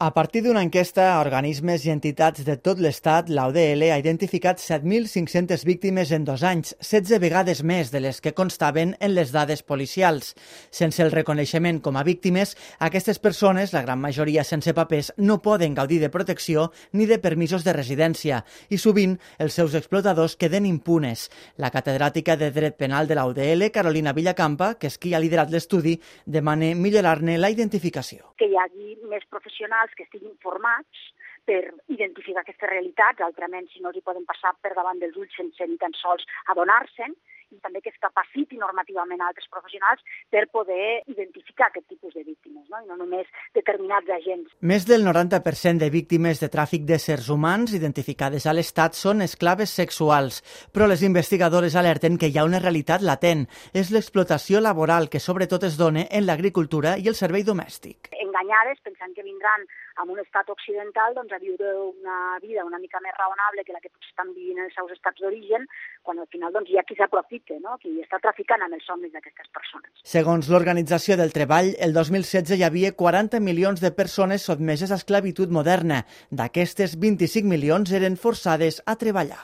A partir d'una enquesta a organismes i entitats de tot l'Estat, la UDL ha identificat 7.500 víctimes en 2 anys, 16 vegades més de les que constaven en les dades policials. Sense el reconeixement com a víctimes, aquestes persones, la gran majoria sense papers, no poden gaudir de protecció ni de permisos de residència i sovint els seus explotadors queden impunes. La catedràtica de Dret Penal de la UDL, Carolina Villacampa, que és qui ha liderat l'estudi, demana millorar-ne la identificació. Que hi hagi més professionals que estiguin formats per identificar aquestes realitats, altrament si no els hi poden passar per davant dels ulls sense ni tan sols adonar-se'n, i també que es capaciti normativament a altres professionals per poder identificar aquest tipus de víctimes, i no només determinats agents. Més del 90% de víctimes de tràfic d'éssers humans identificades a l'Estat són esclaves sexuals, però les investigadores alerten que hi ha una realitat latent. És l'explotació laboral que sobretot es dona en l'agricultura i el servei domèstic. Enganyades, pensant que vindran a un estat occidental a viure una vida una mica més raonable que la que potser estan vivint en els seus estats d'origen, quan al final hi ha qui s'aprofita, qui està traficant amb els somnis d'aquestes persones. Segons l'Organització del Treball, el 2016 hi havia 40 milions de persones sotmeses a esclavitud moderna. D'aquestes, 25 milions eren forçades a treballar.